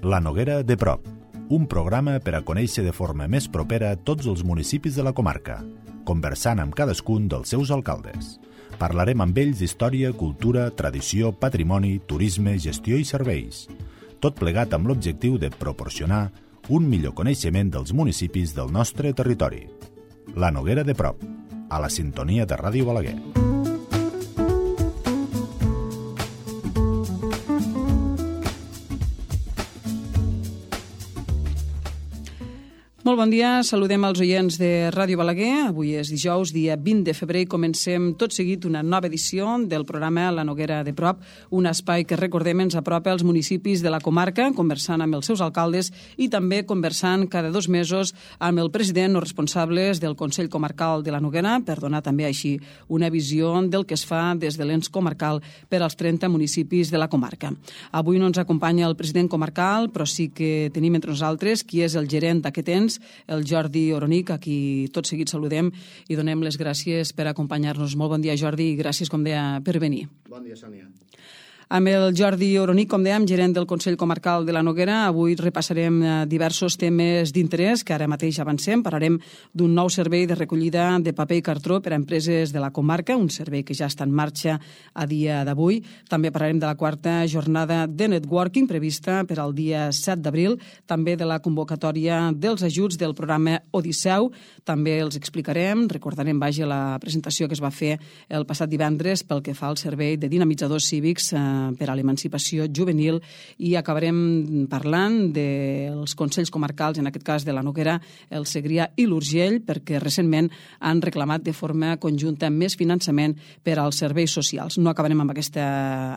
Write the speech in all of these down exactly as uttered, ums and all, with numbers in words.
La Noguera de prop, un programa per a conèixer de forma més propera tots els municipis de la comarca, conversant amb cadascun dels seus alcaldes. Parlarem amb ells d'història, cultura, tradició, patrimoni, turisme, gestió i serveis. Tot plegat amb l'objectiu de proporcionar un millor coneixement dels municipis del nostre territori. La Noguera de prop, a la sintonia de Ràdio Balaguer. Molt bon dia, saludem els oients de Ràdio Balaguer. Avui és dijous, dia vint de febrer, i comencem tot seguit una nova edició del programa La Noguera de prop, un espai que, recordem, ens apropa als municipis de la comarca, conversant amb els seus alcaldes i també conversant cada dos mesos amb el president o responsables del Consell Comarcal de la Noguera, per donar també així una visió del que es fa des de l'ens comarcal per als trenta municipis de la comarca. Avui no ens acompanya el president comarcal, però sí que tenim entre nosaltres qui és el gerent d'aquest ens, el Jordi Oronic, a qui tot seguit saludem i donem les gràcies per acompanyar-nos. Molt bon dia, Jordi, i gràcies, com deia, per venir. Bon dia, Sònia. Amb el Jordi Oronic, com dèiem, gerent del Consell Comarcal de la Noguera, avui repassarem diversos temes d'interès que ara mateix avancem. Parlarem d'un nou servei de recollida de paper i cartró per a empreses de la comarca, un servei que ja està en marxa a dia d'avui. També parlarem de la quarta jornada de networking prevista per al dia set d'abril, també de la convocatòria dels ajuts del programa Odisseu. També els explicarem, recordarem, vaja, la presentació que es va fer el passat divendres pel que fa al servei de dinamitzadors cívics eh, per a l'emancipació juvenil, i acabarem parlant dels Consells Comarcals, en aquest cas de la Noguera, el Segrià i l'Urgell, perquè recentment han reclamat de forma conjunta més finançament per als serveis socials. No acabarem amb, aquesta,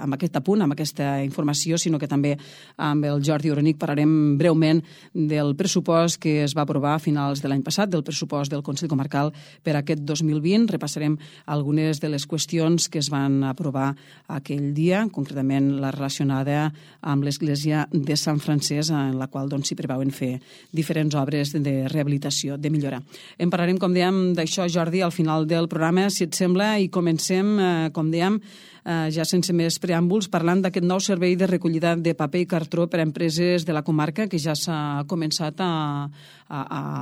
amb aquest apunt, amb aquesta informació, sinó que també amb el Jordi Oronic parlarem breument del pressupost que es va aprovar a finals de l'any passat, del pressupost del Consell Comarcal per a aquest dos mil vint. Repassarem algunes de les qüestions que es van aprovar aquell dia, concretament la relacionada amb l'església de Sant Francesc, en la qual doncs, s'hi preveuen fer diferents obres de rehabilitació, de millora. En parlarem, com dèiem, d'això, Jordi, al final del programa, si et sembla, i comencem, eh, com dèiem, eh, ja sense més preàmbuls, parlant d'aquest nou servei de recollida de paper i cartró per a empreses de la comarca que ja s'ha començat a, a,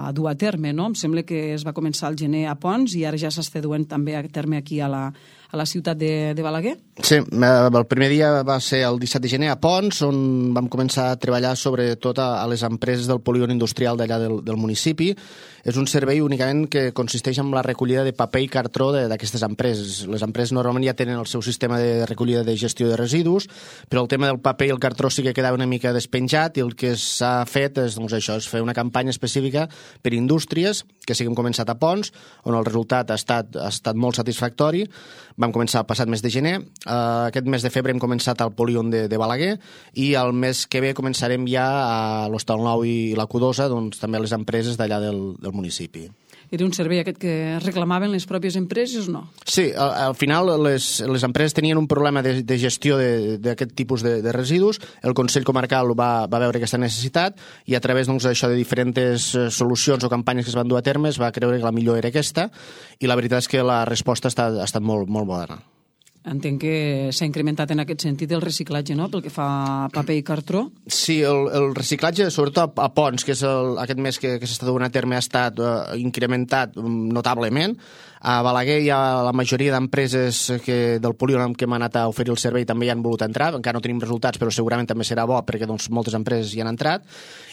a dur a terme, no? Em sembla que es va començar al gener a Ponts i ara ja s'està duent també a terme aquí a la, a la ciutat de, de Balaguer? Sí, el primer dia va ser el disset de gener a Ponts, on vam començar a treballar sobretot a, a les empreses del polígon industrial d'allà del, del municipi. És un servei únicament que consisteix en la recollida de paper i cartró d'aquestes empreses. Les empreses normalment ja tenen el seu sistema de recollida de gestió de residus, però el tema del paper i el cartró sí que quedava una mica despenjat, i el que s'ha fet és, doncs, això, és fer una campanya específica per indústries, que sí que hem començat a Ponts, on el resultat ha estat, ha estat molt satisfactori. Vam començar el passat mes de gener, uh, aquest mes de febrer hem començat al polígon de, de Balaguer, i el mes que ve començarem ja a l'Hostal Nou i la Cudosa, doncs també les empreses d'allà del, del municipi. Era un servei aquest que reclamaven les pròpies empreses o no? Sí, al, al final les, les empreses tenien un problema de, de gestió d'aquest tipus de, de residus. El Consell Comarcal va, va veure aquesta necessitat i a través, doncs, això de diferents solucions o campanyes que es van dur a terme es va creure que la millor era aquesta, i la veritat és que la resposta ha estat, ha estat molt, molt bona. Entenc que s'ha incrementat en aquest sentit el reciclatge, no?, pel que fa a paper i cartró. Sí, el, el reciclatge, sobretot a, a Ponts, que és el, aquest mes que, que s'està donant a terme, ha estat uh, incrementat notablement. A Balaguer hi ha la majoria d'empreses que, del polígon que hem anat a oferir el servei també hi han volut entrar. Encara no tenim resultats, però segurament també serà bo perquè, doncs, moltes empreses hi han entrat.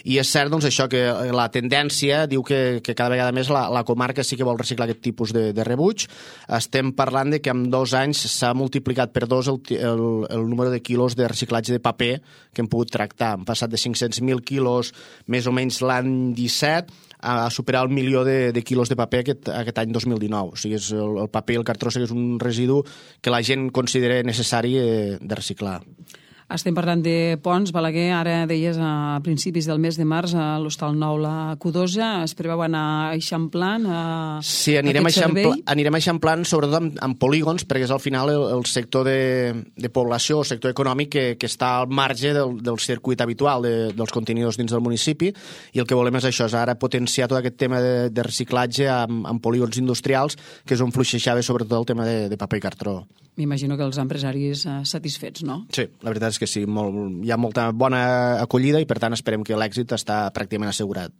I és cert, doncs, això, que la tendència diu que, que cada vegada més la, la comarca sí que vol reciclar aquest tipus de, de rebuig. Estem parlant de que en dos anys s'ha multiplicat per dos el, el, el número de quilos de reciclatge de paper que hem pogut tractar. Hem passat de cinc-cents mil quilos més o menys l'any disset a superar el milió de, de quilos de paper aquest, aquest any dos mil dinou. O sigui, és el, el paper i el cartró és un residu que la gent considera necessari eh, de reciclar. Estem parlant de Ponts, Balaguer, ara deies a principis del mes de març a l'Hostal Nou la Cudosa. Es preveu anar eixamplant a sí, anirem aquest servei? Sí, anirem eixamplant sobretot amb, amb polígons, perquè és al final el, el sector de, de població, el sector econòmic que, que està al marge del, del circuit habitual de, dels contenidors dins del municipi, i el que volem és això, és ara potenciar tot aquest tema de, de reciclatge amb, amb polígons industrials, que és on fluixejava sobretot el tema de, de paper i cartró. M'imagino que els empresaris eh, satisfets, no? Sí, la veritat és és que sí, molt, hi ha molta bona acollida i per tant esperem que l'èxit està pràcticament assegurat.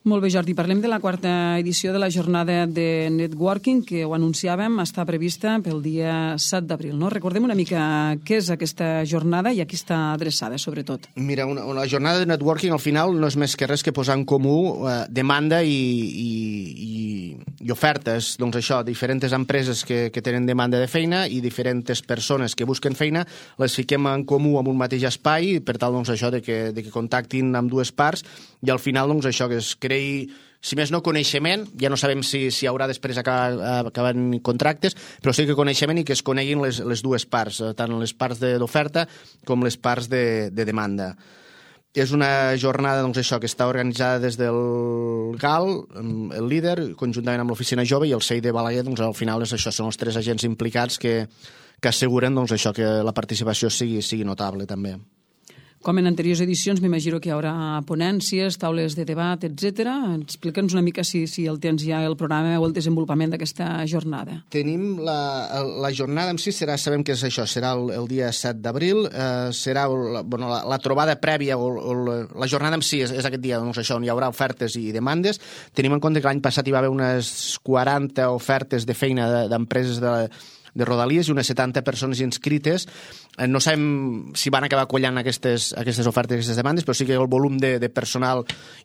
Molt bé, Jordi. Parlem de la quarta edició de la jornada de networking, que ho anunciàvem, està prevista pel dia set d'abril, no? Recordem una mica què és aquesta jornada i a qui està adreçada, sobretot. Mira, una, una jornada de networking al final no és més que res que posar en comú eh, demanda i, i, i, i ofertes. Doncs això, diferents empreses que, que tenen demanda de feina i diferents persones que busquen feina, les fiquem en comú en un mateix espai per tal, doncs, això de que, de que contactin amb dues parts i al final, doncs, això que es crei, si més no coneixement, ja no sabem si, si haurà després acabar, acabant contractes, però sí que coneixement i que es coneguin les, les dues parts, tant les parts d'oferta com les parts de, de demanda. És una jornada, doncs, això, que està organitzada des del G A L, el líder, conjuntament amb l'Oficina Jove i el C I de Balaguer, doncs, al final és això, són els tres agents implicats que, que asseguren, doncs, això, que la participació sigui, sigui notable, també. Com en anteriors edicions, m'imagino que hi haurà ponències, taules de debat, etcètera. Explica'ns una mica si, si el tens ja el programa o el desenvolupament d'aquesta jornada. Tenim la, la jornada en si, serà, sabem que és això, serà el, el dia set d'abril, eh, serà la, bueno, la, la trobada prèvia, o, o la, la jornada en si és, és aquest dia, doncs això, on hi haurà ofertes i demandes. Tenim en compte que l'any passat hi va haver unes quaranta ofertes de feina d'empreses de, de Rodalies i unes setanta persones inscrites. No sabem si van acabar collant aquestes, aquestes ofertes, aquestes demandes, però sí que el volum de, de personal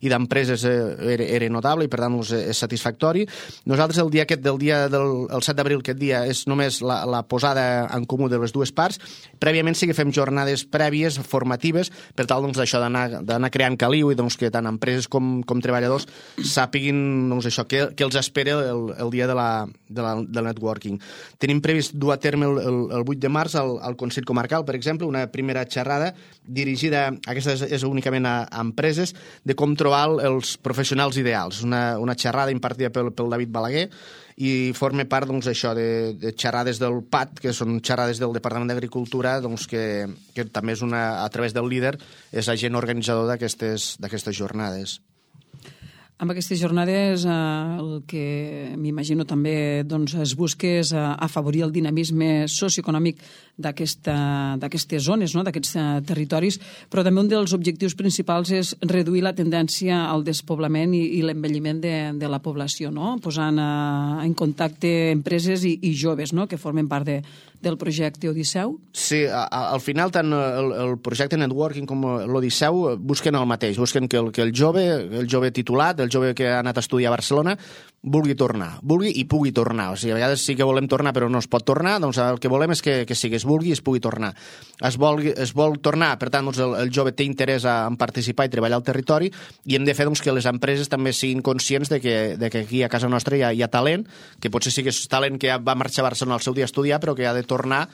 i d'empreses era, era notable i per tant és satisfactori. Nosaltres el dia aquest del dia del el set d'abril, aquest dia, és només la, la posada en comú de les dues parts. Prèviament sí que fem jornades prèvies, formatives, per tal, doncs, això d'anar creant caliu i, doncs, que tant empreses com, com treballadors sàpiguin, doncs, això, què, què els espera el, el dia de la, de la, del networking. Tenim previst dur a terme el, el, el vuit de març al, al Consell Comarcal, per exemple, una primera xerrada dirigida, aquesta és, és únicament a, a empreses, de com trobar els professionals ideals. Una, una xerrada impartida pel, pel David Balaguer i forma part, doncs, això de, de xerrades del P A T, que són xerrades del Departament d'Agricultura, doncs, que, que també és una, a través del líder, és agent organitzador d'aquestes d'aquestes jornades. Amb aquestes jornades eh, el que m'imagino també, doncs, es busca és eh, afavorir el dinamisme socioeconòmic d'aquestes zones, no? D'aquests eh, territoris, però també un dels objectius principals és reduir la tendència al despoblament i, i l'envelliment de, de la població, no? Posant eh, en contacte empreses i, i joves, no? Que formen part de, del projecte Odisseu. Sí, a, a, al final tant el, el projecte Networking com l'Odisseu busquen el mateix, busquen que el, que el jove, el jove titulat, el jove que ha anat a estudiar a Barcelona, vulgui tornar, vulgui i pugui tornar. O sigui, a vegades sí que volem tornar però no es pot tornar, doncs el que volem és que, que sí, que es vulgui i es pugui tornar. Es vol, es vol tornar, per tant, doncs el, el jove té interès en participar i treballar al territori i hem de fer, doncs, que les empreses també siguin conscients de que, de que aquí a casa nostra hi ha, hi ha talent, que potser sí que és talent que va marxar a Barcelona al seu dia a estudiar però que ha de tornar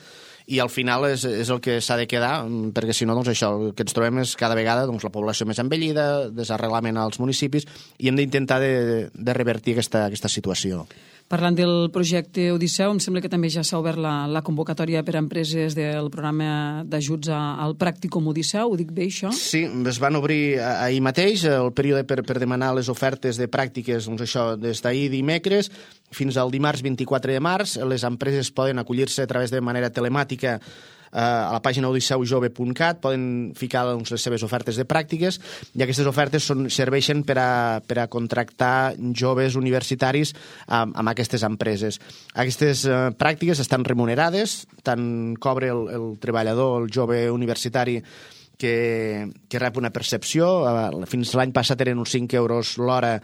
i al final és, és el que s'ha de quedar, perquè si no, doncs això, el que ens trobem és cada vegada, doncs, la població més envellida, desarrelament als municipis, i hem d'intentar de, de revertir aquesta, aquesta situació. Parlant del projecte Odisseu, em sembla que també ja s'ha obert la, la convocatòria per a empreses del programa d'ajuts al Pràcticum Odisseu, ho dic bé, això? Sí, es van obrir ahir mateix el període per, per demanar les ofertes de pràctiques, doncs això, des d'ahir dimecres fins al dimarts vint-i-quatre de març. Les empreses poden acollir-se a través de manera telemàtica a la pàgina odisseu jove punt cat, poden ficar, doncs, les seves ofertes de pràctiques i aquestes ofertes són, serveixen per a, per a contractar joves universitaris amb, amb aquestes empreses. Aquestes eh, pràctiques estan remunerades, tant cobra el, el treballador, el jove universitari, que, que rep una percepció. Fins l'any passat eren uns cinc euros l'hora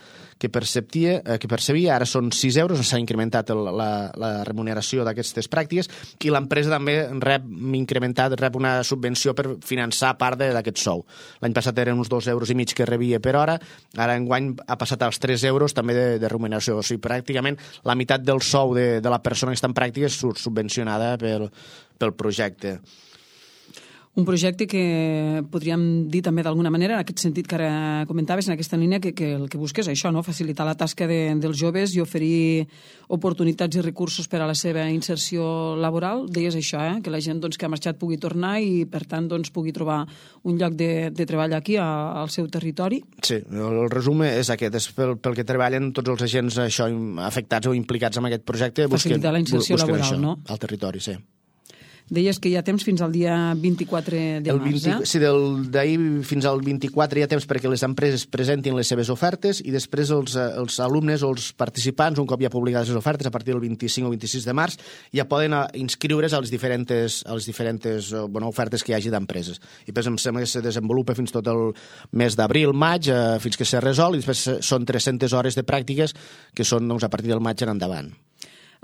que percepia, que percebia, ara són sis euros, s'ha incrementat el, la, la remuneració d'aquestes pràctiques i l'empresa també rep incrementat, rep una subvenció per finançar part d'aquest sou. L'any passat eren uns dos euros i mig que rebia per hora, ara enguany ha passat als tres euros també de, de remuneració. O sigui, pràcticament la meitat del sou de, de la persona que està en pràctiques surt subvencionada pel, pel projecte. Un projecte que podríem dir també d'alguna manera, en aquest sentit que ara comentaves, en aquesta línia, que, que el que busques és això, no? Facilitar la tasca de, dels joves i oferir oportunitats i recursos per a la seva inserció laboral. Deies això, eh? Que la gent, doncs, que ha marxat pugui tornar i, per tant, doncs, pugui trobar un lloc de, de treball aquí, a, al seu territori. Sí, el resum és aquest, és pel, pel que treballen tots els agents això, afectats o implicats en aquest projecte. Facilitar busquen, la inserció laboral, això, no? Al territori, sí. Deies que hi ha temps fins al dia vint-i-quatre de el març, vint, eh? Sí, d'ahir fins al vint-i-quatre hi ha temps perquè les empreses presentin les seves ofertes i després els, els alumnes o els participants, un cop ja publicades les ofertes, a partir del vint-i-cinc o vint-i-sis de març, ja poden inscriure's a les diferents, a les diferents bueno, ofertes que hi hagi d'empreses. I després em sembla que se desenvolupa fins tot el mes d'abril, maig, eh, fins que se resol, i després són tres-centes hores de pràctiques que són doncs, a partir del maig en endavant.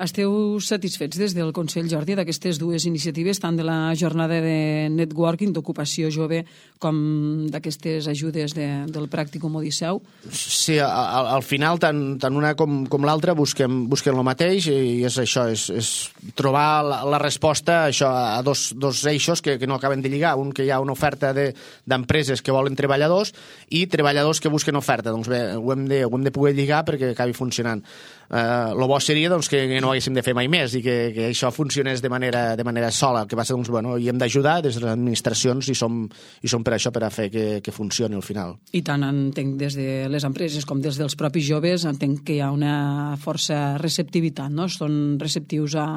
Esteu satisfets des del Consell, Jordi, d'aquestes dues iniciatives, tant de la jornada de networking, d'ocupació jove, com d'aquestes ajudes de, del Pràcticum Odisseu? Sí, al, al final, tant, tant una com, com l'altra busquem, busquem el mateix, i és això, és, és trobar la, la resposta això, a dos, dos eixos que, que no acaben de lligar. Un, que hi ha una oferta d'empreses de, que volen treballadors i treballadors que busquen oferta. Doncs bé, ho hem de, ho hem de poder lligar perquè acabi funcionant. Uh, lo bo seria doncs, que no haguéssim de fer mai més i que, que això funcionés de manera, de manera sola. El que passa, doncs, bueno, hi hem d'ajudar des de les administracions i som, i som per això, per a fer que, que funcioni al final. I tant entenc des de les empreses com des dels propis joves, entenc que hi ha una força receptivitat, no? Són receptius a,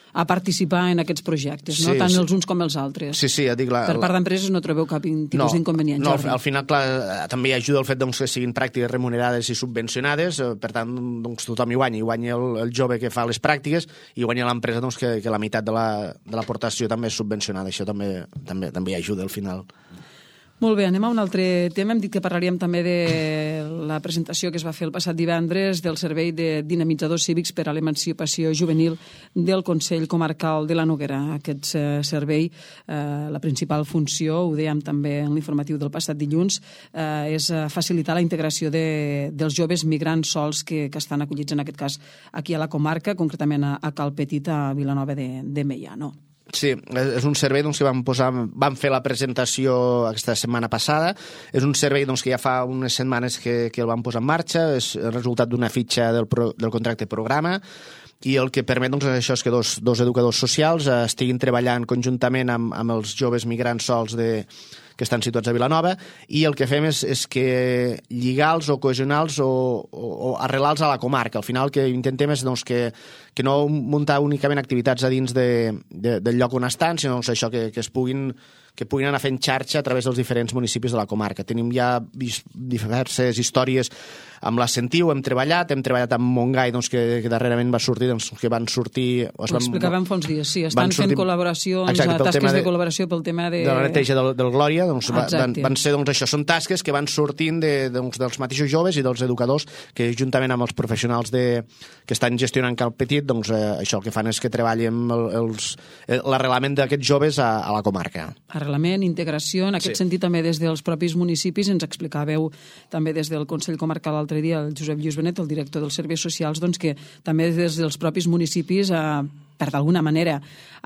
a participar en aquests projectes, no? Sí, Tant sí. els uns com els altres. Sí, sí, ja dic... La, per part d'empreses no trobeu cap tipus no, d'inconvenient, no, Jordi? al final, clar, també ajuda el fet doncs, que siguin pràctiques remunerades i subvencionades, per tant, doncs, tothom hi guanya. Hi guanya el, el jove que fa les pràctiques i guanya l'empresa doncs, que, que la meitat de l'aportació també és subvencionada. Això també, també, també ajuda al final. Molt bé, anem a un altre tema. Hem dit que parlaríem també de la presentació que es va fer el passat divendres del Servei de Dinamitzadors Cívics per a l'Emancipació Juvenil del Consell Comarcal de la Noguera. Aquest eh, servei, eh, la principal funció, ho dèiem també en l'informatiu del passat dilluns, eh, és facilitar la integració de, dels joves migrants sols que, que estan acollits, en aquest cas, aquí a la comarca, concretament a, a Cal Petit, a Vilanova de, de Meià, no? Sí, és un servei doncs, que vam, posar, vam fer la presentació aquesta setmana passada. És un servei doncs, que ja fa unes setmanes que, que el vam posar en marxa. És el resultat d'una fitxa del, pro, del contracte programa, i el que permet doncs, això és que dos, dos educadors socials eh, estiguin treballant conjuntament amb, amb els joves migrants sols de, que estan situats a Vilanova, i el que fem és, és que lligar-los o cohesionar-los o, o, o arrelar-los a la comarca. Al final el que intentem és doncs, que, que no muntar únicament activitats a dins de, de, del lloc on estan, sinó doncs, això que, que es puguin que puguin anar fent xarxa a través dels diferents municipis de la comarca. Tenim ja diverses històries amb la Sentiu, hem treballat, hem treballat amb Montgai, doncs, que, que darrerament va sortir, doncs, que van sortir... Ho explicàvem fa uns dies, sí, estan fent col·laboracions, exacte, tasques de, de col·laboració pel tema de... De la neteja del, del Glòria, doncs, van, van ser, doncs, això, són tasques que van sortint de, doncs, dels mateixos joves i dels educadors que, juntament amb els professionals de, que estan gestionant Cal Petit, doncs, eh, això el que fan és que treballem l'arrelament d'aquests joves a, a la comarca. Arrelament, integració, en aquest sí. sentit també des dels propis municipis, ens explicàveu també des del Consell Comarcal l'altre dia, el Josep Lluís Benet, el director dels Serveis Socials, doncs que també des dels propis municipis, eh, per d'alguna manera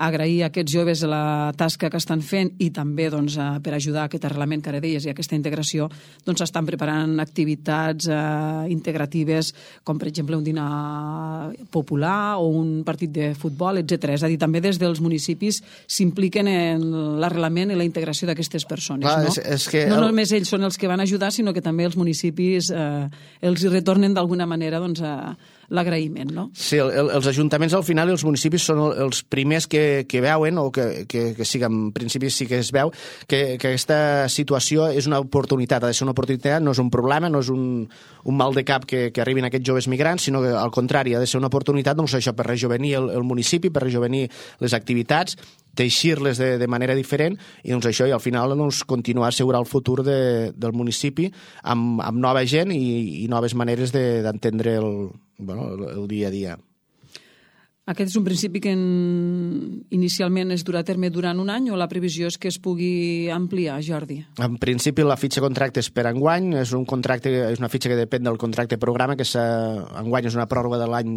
agrair a aquests joves la tasca que estan fent i també doncs, eh, per ajudar a aquest arrelament que ara deies i a aquesta integració, doncs estan preparant activitats eh, integratives com per exemple un dinar popular o un partit de futbol, etcètera. És a dir, també des dels municipis s'impliquen en l'arrelament i la integració d'aquestes persones. Clar, no? És, és que no el... només ells són els que van ajudar, sinó que també els municipis eh, els hi retornen d'alguna manera doncs, a l'agraïment, no? Sí, el, el, els ajuntaments al final i els municipis són el, els primers que, que veuen, o que, que, que sí que en principi sí que es veu, que, que aquesta situació és una oportunitat, ha de ser una oportunitat, no és un problema, no és un, un mal de cap que, que arribin aquests joves migrants, sinó que al contrari, ha de ser una oportunitat, doncs això, per rejovenir el, el municipi, per rejovenir les activitats, teixir-les de, de manera diferent, i doncs això, i al final doncs, continuar a assegurar el futur de, del municipi amb, amb nova gent i, i noves maneres d'entendre de, el, bueno, el, el dia a dia. Aquest és un principi que en... inicialment es durà a terme durant un any o la previsió és que es pugui ampliar, Jordi? En principi la fitxa contracte és per enguany, és un contracte, és una fitxa que depèn del contracte programa, que enguany és una pròrroga de l'any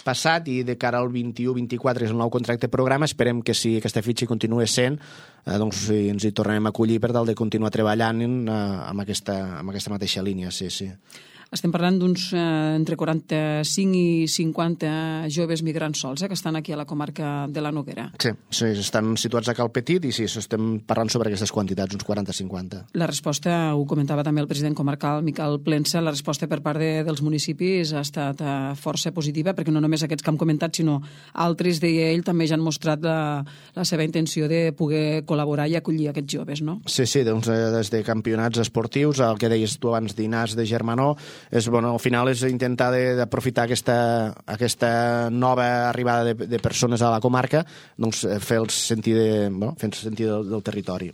passat i de cara al vint-i-u vint-i-quatre és el nou contracte programa. Esperem que si aquesta fitxa continua sent, eh, doncs ens hi tornarem a acollir per tal de continuar treballant eh, amb, aquesta, amb aquesta mateixa línia, sí, sí. estem parlant d'uns eh, entre quaranta-cinc i cinquanta joves migrants sols eh, que estan aquí a la comarca de la Noguera. Sí, sí, estan situats a Cal Petit i sí, estem parlant sobre aquestes quantitats, uns quaranta a cinquanta. La resposta, ho comentava també el president comarcal Miquel Plensa, la resposta per part de, dels municipis ha estat eh, força positiva, perquè no només aquests que hem comentat, sinó altres, deia ell, també ja han mostrat la, la seva intenció de poder col·laborar i acollir aquests joves, no? Sí, sí, doncs, des de campionats esportius, el que deies tu abans d'Inàs de Germanó, és, bueno, al final és intentar d'aprofitar aquesta, aquesta nova arribada de, de persones a la comarca, doncs fer-los sentir, de, bueno, fer sentir del, del territori.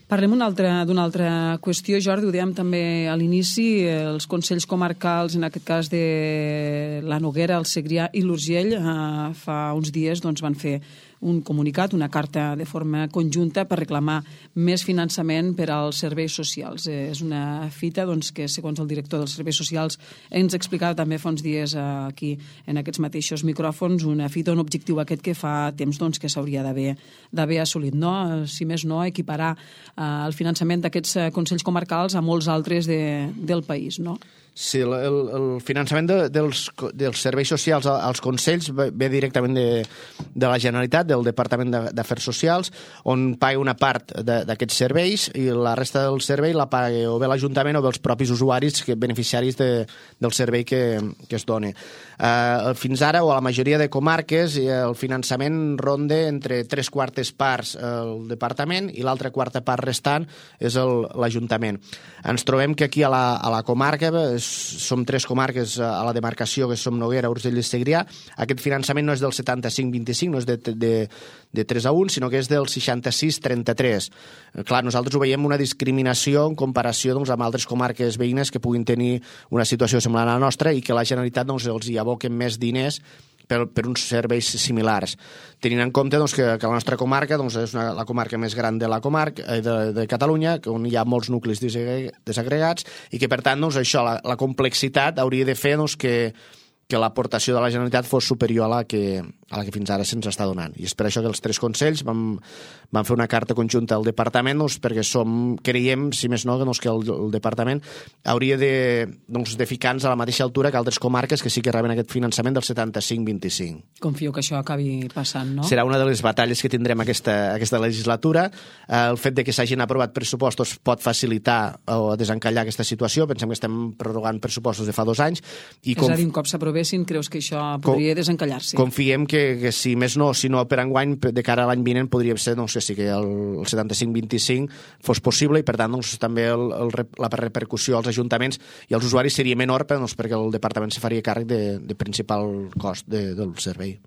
Parlem d'una altra, d'una altra qüestió, Jordi, ho dèiem també a l'inici, els consells comarcals, en aquest cas de la Noguera, el Segrià i l'Urgell, eh, fa uns dies doncs, van fer un comunicat, una carta de forma conjunta per reclamar més finançament per als serveis socials. Eh, és una fita doncs, que, segons el director dels serveis socials, ens explicava també fa uns dies eh, aquí, en aquests mateixos micròfons, una fita, un objectiu aquest que fa temps doncs, que s'hauria d'haver assolit. No? Si més no, equiparar eh, el finançament d'aquests eh, consells comarcals a molts altres de, del país, no? Sí, el, el finançament de, dels, dels serveis socials als consells ve directament de, de la Generalitat, del Departament d'Afers Socials, on paga una part d'aquests serveis i la resta del servei la paga o bé l'Ajuntament o bé els propis usuaris, que, beneficiaris de, del servei que, que es doni. Uh, fins ara, o a la majoria de comarques, el finançament ronda entre tres quartes parts el Departament i l'altra quarta part restant és l'Ajuntament. Ens trobem que aquí a la, a la comarca som tres comarques a la demarcació, que som Noguera, Urgell i Segrià. Aquest finançament no és del setanta-cinc vint-i-cinc, no és de, de, de tres a un, sinó que és del seixanta-sis trenta-tres. Clar, nosaltres ho veiem una discriminació en comparació doncs, amb altres comarques veïnes que puguin tenir una situació semblant a la nostra i que la Generalitat doncs, els hi aboquen més diners per, per uns serveis similars. Tenint en compte doncs, que, que la nostra comarca doncs, és una, la comarca més gran de la comarca eh, de, de Catalunya, on hi ha molts nuclis desagregats i que, per tant, doncs, això, la, la complexitat hauria de fer doncs, que, que l'aportació de la Generalitat fos superior a la que, a la que fins ara se'ns està donant. I és per això que els tres consells vam, vam fer una carta conjunta al Departament doncs, perquè som, creiem, si més no, doncs, que el, el Departament hauria de, doncs, de ficar-nos a la mateixa altura que altres comarques que sí que reben aquest finançament del setanta-cinc vint-i-cinc. Confio que això acabi passant, no? Serà una de les batalles que tindrem aquesta, aquesta legislatura. El fet de que s'hagin aprovat pressupostos pot facilitar o desencallar aquesta situació. Pensem que estem prorrogant pressupostos de fa dos anys. I és a dir, un cop s'aprovessin, creus que això podria desencallar-se? Confiem que, que si més no, si no per enguany, de cara a l'any vinent, podria ser, no sé, si que el, el setanta-cinc vint-i-cinc fos possible i, per tant, doncs, també el, el, la repercussió als ajuntaments i als usuaris seria menor doncs, perquè el Departament se faria càrrec de, de principal cost de, del servei.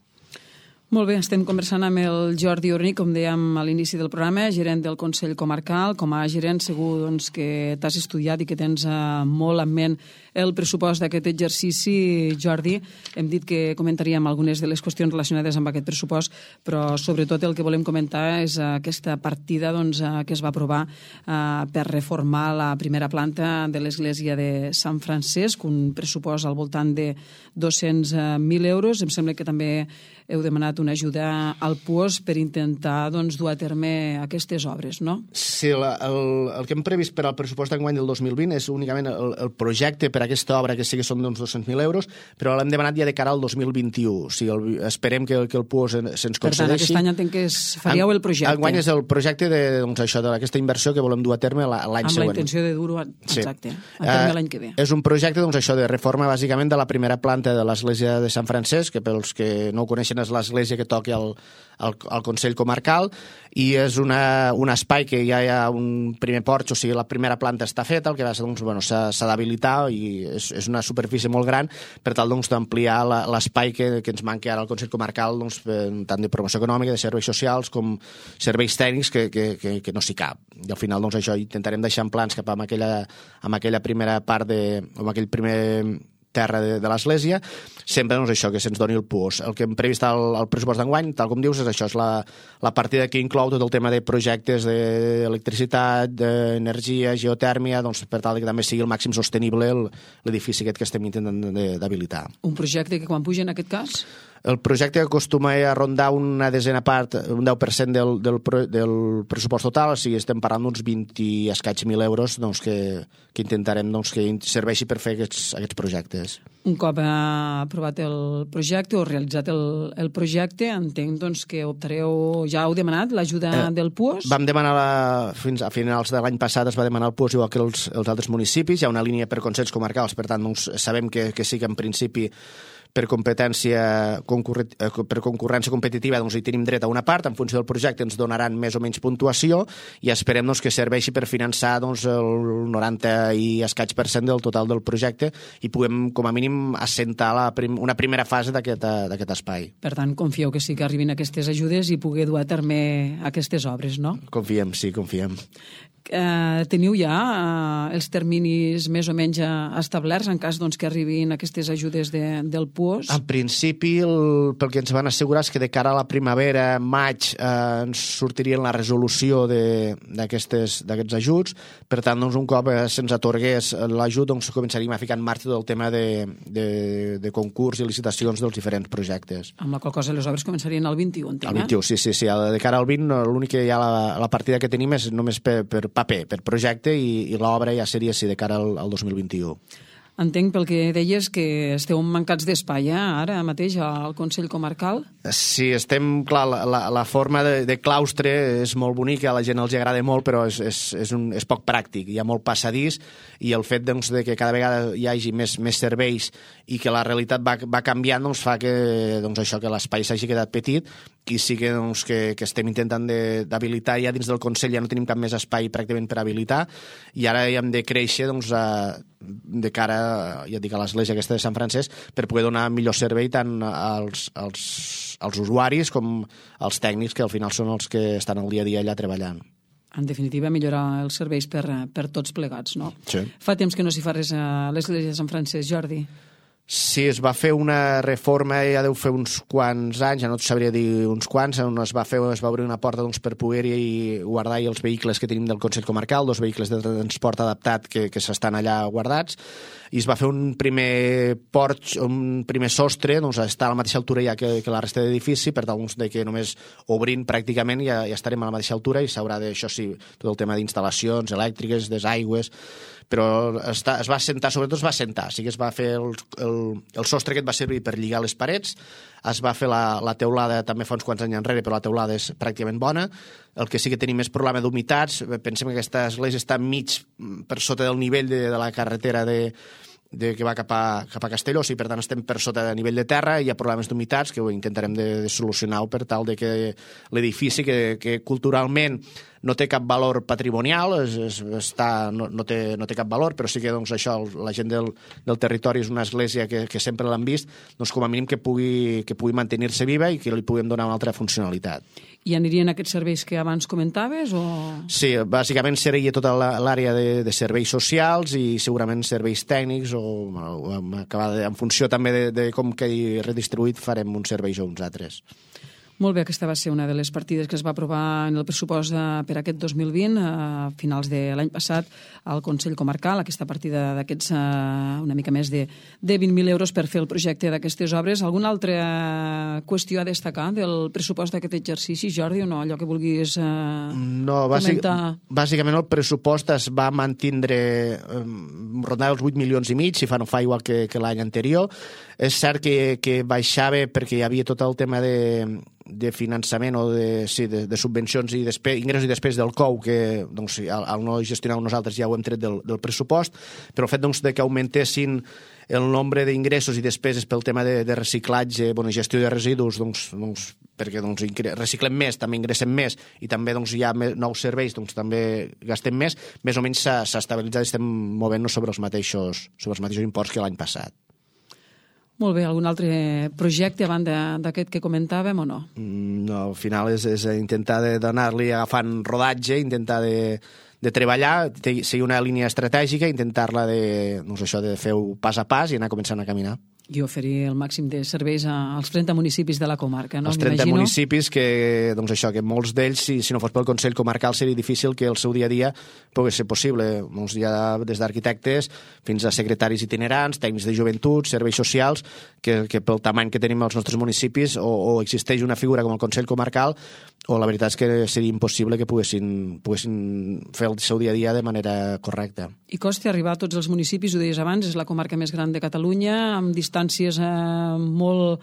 Molt bé, estem conversant amb el Jordi Orní, com dèiem a l'inici del programa, gerent del Consell Comarcal. Com a gerent segur doncs, que t'has estudiat i que tens eh, molt en ment el pressupost d'aquest exercici, Jordi. Hem dit que comentaríem algunes de les qüestions relacionades amb aquest pressupost, però sobretot el que volem comentar és aquesta partida doncs, que es va aprovar eh, per reformar la primera planta de l'església de Sant Francesc, un pressupost al voltant de dos-cents mil euros. Em sembla que també heu demanat una ajuda al P U O S per intentar doncs, dur a terme aquestes obres, no? Sí, la, el, el que hem previst per al pressupost d'enguany del dos mil vint és únicament el, el projecte per a aquesta obra, que sí que són d'uns dos-cents mil euros, però l'hem demanat ja de cara al dos mil vint-i-u. O sigui, el, esperem que, que el P U O S se'ns concedeixi. Per tant, aquest any entenc que es faríeu el projecte. Enguany és el projecte de, doncs, això, d'aquesta inversió que volem dur a terme l'any següent. Amb la intenció de dur-ho, exacte, sí. a terme uh, l'any que ve. És un projecte doncs, això, de reforma bàsicament de la primera planta de l'església de Sant Francesc, que pels que no ho coneixen és l'església que toca al, al, al Consell Comarcal, i és una, un espai que ja hi ha un primer porx, o sigui, la primera planta està feta, el que va ser, doncs, bueno, s'ha d'habilitar i és, és una superfície molt gran per tal doncs, d'ampliar l'espai que, que ens manca ara al Consell Comarcal, doncs, tant de promoció econòmica, de serveis socials, com serveis tècnics, que, que, que, que no s'hi cap. I al final, doncs, això intentarem deixar en plans cap a aquella, amb aquella primera part de... amb aquell primer terra de, de l'església, sempre doncs, això, que se'ns doni el P U O S. El que hem previst al, al pressupost d'enguany, tal com dius, és això, és la, la partida que inclou tot el tema de projectes d'electricitat, d'energia, geotèrmia, doncs, per tal que també sigui el màxim sostenible l'edifici aquest que estem intentant d'habilitar. Un projecte que quan puja en aquest cas? El projecte acostuma a rondar una desena part, un deu per cent del, del, del pressupost total, o sigui, estem parlant d'uns vint i escaig mil euros doncs, que, que intentarem doncs, que serveixi per fer aquests, aquests projectes. Un cop ha aprovat el projecte o realitzat el, el projecte, entenc doncs, que optareu, ja heu demanat l'ajuda eh, del P U O S? Vam demanar, la, fins a finals de l'any passat es va demanar el P U O S igual que els, els altres municipis, hi ha una línia per consells comarcals, per tant doncs, sabem que, que sí que en principi per competència per concurrència competitiva doncs hi tenim dret a una part, en funció del projecte ens donaran més o menys puntuació i esperem doncs, que serveixi per finançar doncs, el noranta i escaig per cent del total del projecte i puguem com a mínim assentar la prim, una primera fase d'aquest espai. Per tant, confieu que sí que arribin aquestes ajudes i pugui dur a terme aquestes obres, no? Confiem, sí, confiem. Eh, teniu ja eh, els terminis més o menys establerts en cas doncs, que arribin aquestes ajudes de, del P U O S? En principi, el, pel que ens van assegurar és que de cara a la primavera, maig, eh, ens sortirien la resolució d'aquests ajuts. Per tant, doncs, un cop eh, se'ns atorgués l'ajut, doncs, començaríem a ficar en marxa tot el tema de, de, de concurs i licitacions dels diferents projectes. Amb la qual cosa les obres començarien el vint-i-u, entenc, el vint-i-u, sí, sí, sí. De cara al vint, l'únic que hi ha la, la partida que tenim és només per, per paper, per projecte, i, i l'obra ja seria sí, de cara al, al dos mil vint-i-u. Entenc pel que deies que esteu mancats d'espai, eh, ara mateix al Consell Comarcal. Sí, estem, clar, la, la, la forma de, de claustre és molt bonica, a la gent els agrada molt, però és, és, és, un, és poc pràctic. Hi ha molt passadís i el fet doncs, de que cada vegada hi hagi més, més serveis i que la realitat va, va canviant doncs, fa que, doncs, això, que l'espai s'hagi quedat petit i sí que, doncs, que, que estem intentant d'habilitar ja dins del Consell, ja no tenim cap més espai pràcticament per habilitar i ara ja hem de créixer doncs, a, de cara ja dic, a l'església aquesta de Sant Francesc per poder donar millor servei tant als, als, als usuaris com als tècnics que al final són els que estan el dia a dia allà treballant. En definitiva, millorar els serveis per, per tots plegats, no? Sí. Fa temps que no s'hi fa res a l'església de Sant Francesc, Jordi. Sí, es va fer una reforma, ja deu fer uns quants anys, ja no et sabria dir uns quants, on es va, fer, es va obrir una porta doncs, per poder-hi guardar els vehicles que tenim del Consell Comarcal, dos vehicles de transport adaptat que, que s'estan allà guardats, i es va fer un primer porx, un primer sostre, doncs està a la mateixa altura ja que, que la resta d'edifici, per tal doncs, de que només obrint pràcticament ja, ja estarem a la mateixa altura i s'haurà de, això sí, tot el tema d'instal·lacions elèctriques, desaigües, però està, es va assentar, sobretot es va assentar, o sigui es va fer el, el, el sostre que et va servir per lligar les parets, es va fer la, la teulada també fa uns quants anys enrere, però la teulada és pràcticament bona. El que sí que tenim és problema d'humitats, pensem que aquesta església està mig per sota del nivell de, de la carretera de, de, que va cap a, cap a Castelló, i per tant estem per sota de nivell de terra i hi ha problemes d'humitats que ho intentarem de, de solucionar per tal de que l'edifici, que, que culturalment no té cap valor patrimonial, es, es, està, no, no, té, no té cap valor, però sí que doncs, això, la gent del, del territori és una església que, que sempre l'han vist, doncs, com a mínim que pugui, que pugui mantenir-se viva i que li puguem donar una altra funcionalitat. I anirien aquests serveis que abans comentaves? O... Sí, bàsicament seria tota l'àrea de, de serveis socials i segurament serveis tècnics o, o en funció també de, de com quedi redistribuït farem uns serveis o uns altres. Molt bé, aquesta va ser una de les partides que es va aprovar en el pressupost per aquest dos mil vint, a finals de l'any passat, al Consell Comarcal, aquesta partida d'aquests una mica més de, de vint mil euros per fer el projecte d'aquestes obres. Alguna altra qüestió a destacar del pressupost d'aquest exercici, Jordi, o no? Allò que vulguis eh, no, bàsic, comentar? Bàsicament el pressupost es va mantindre eh, rondant els vuit milions i mig, si fa no fa igual que, que l'any anterior. És cert que, que baixava perquè hi havia tot el tema de de finançament o de, sí, de, de subvencions i despe, ingressos i després del C O U, que doncs, al, al no gestionar nosaltres ja ho hem tret del, del pressupost, però el fet doncs, de que augmentessin el nombre d'ingressos i despeses pel tema de, de reciclatge, bueno, gestió de residus, doncs, doncs, perquè doncs, reciclem més, també ingressem més, i també doncs, hi ha nous serveis, doncs també gastem més, més o menys s'ha estabilitzat i estem movent-nos sobre els mateixos, sobre els mateixos imports que l'any passat. Molt bé, algun altre projecte a banda d'aquest que comentàvem o no? No, al final és, és intentar d'anar-li agafant rodatge, intentar de, de treballar, seguir una línia estratègica, intentar-la de, doncs això, de fer-ho pas a pas i anar començant a caminar. I oferir el màxim de serveis als trenta municipis de la comarca, no? Els trenta municipis que, doncs això, que molts d'ells, si, si no fos pel Consell Comarcal, seria difícil que el seu dia a dia pogués ser possible. Molts ja des d'arquitectes fins a secretaris itinerants, tècnics de joventut, serveis socials, que, que pel tamany que tenim als nostres municipis o, o existeix una figura com el Consell Comarcal o la veritat és que seria impossible que poguessin, poguessin fer el seu dia a dia de manera correcta. I costa arribar a tots els municipis, ho deies abans, és la comarca més gran de Catalunya, amb distàncies eh, molt...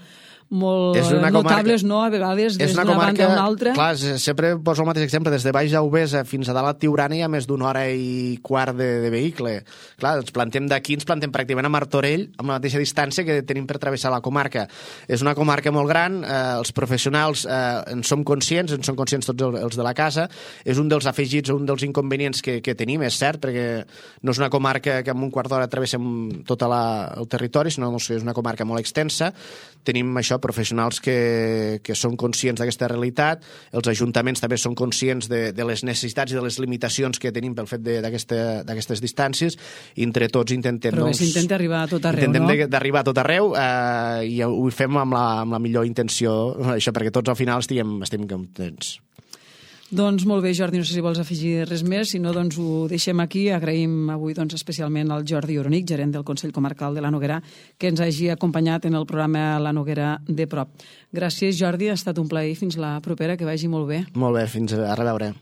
molt notables, no?, a vegades, des d'una banda a una altra. Clar, sempre poso el mateix exemple, des de Baix a Ubesa fins a dalt a Tiurana hi ha més d'una hora i quart de, de vehicle. Clar, ens plantem d'aquí, ens plantem pràcticament a Martorell, amb la mateixa distància que tenim per travessar la comarca. És una comarca molt gran, eh, els professionals eh, en som conscients, en són conscients tots els de la casa, és un dels afegits, un dels inconvenients que, que tenim, és cert, perquè no és una comarca que en un quart d'hora travessem tot la, el territori, sinó que és una comarca molt extensa. Tenim això, professionals que, que són conscients d'aquesta realitat, els ajuntaments també són conscients de, de les necessitats i de les limitacions que tenim pel fet d'aquestes distàncies, i entre tots intentem... Però doncs, s'intenta arribar a tot arreu, intentem no? Intentem d'arribar a tot arreu eh, i ho fem amb la, amb la millor intenció, això perquè tots al final estiguem, estiguem contents. Doncs molt bé, Jordi, no sé si vols afegir res més, si no, doncs ho deixem aquí. Agraïm avui doncs, especialment al Jordi Oronic, gerent del Consell Comarcal de la Noguera, que ens hagi acompanyat en el programa La Noguera de prop. Gràcies, Jordi, ha estat un plaer. Fins la propera, que vagi molt bé. Molt bé, fins a reveure.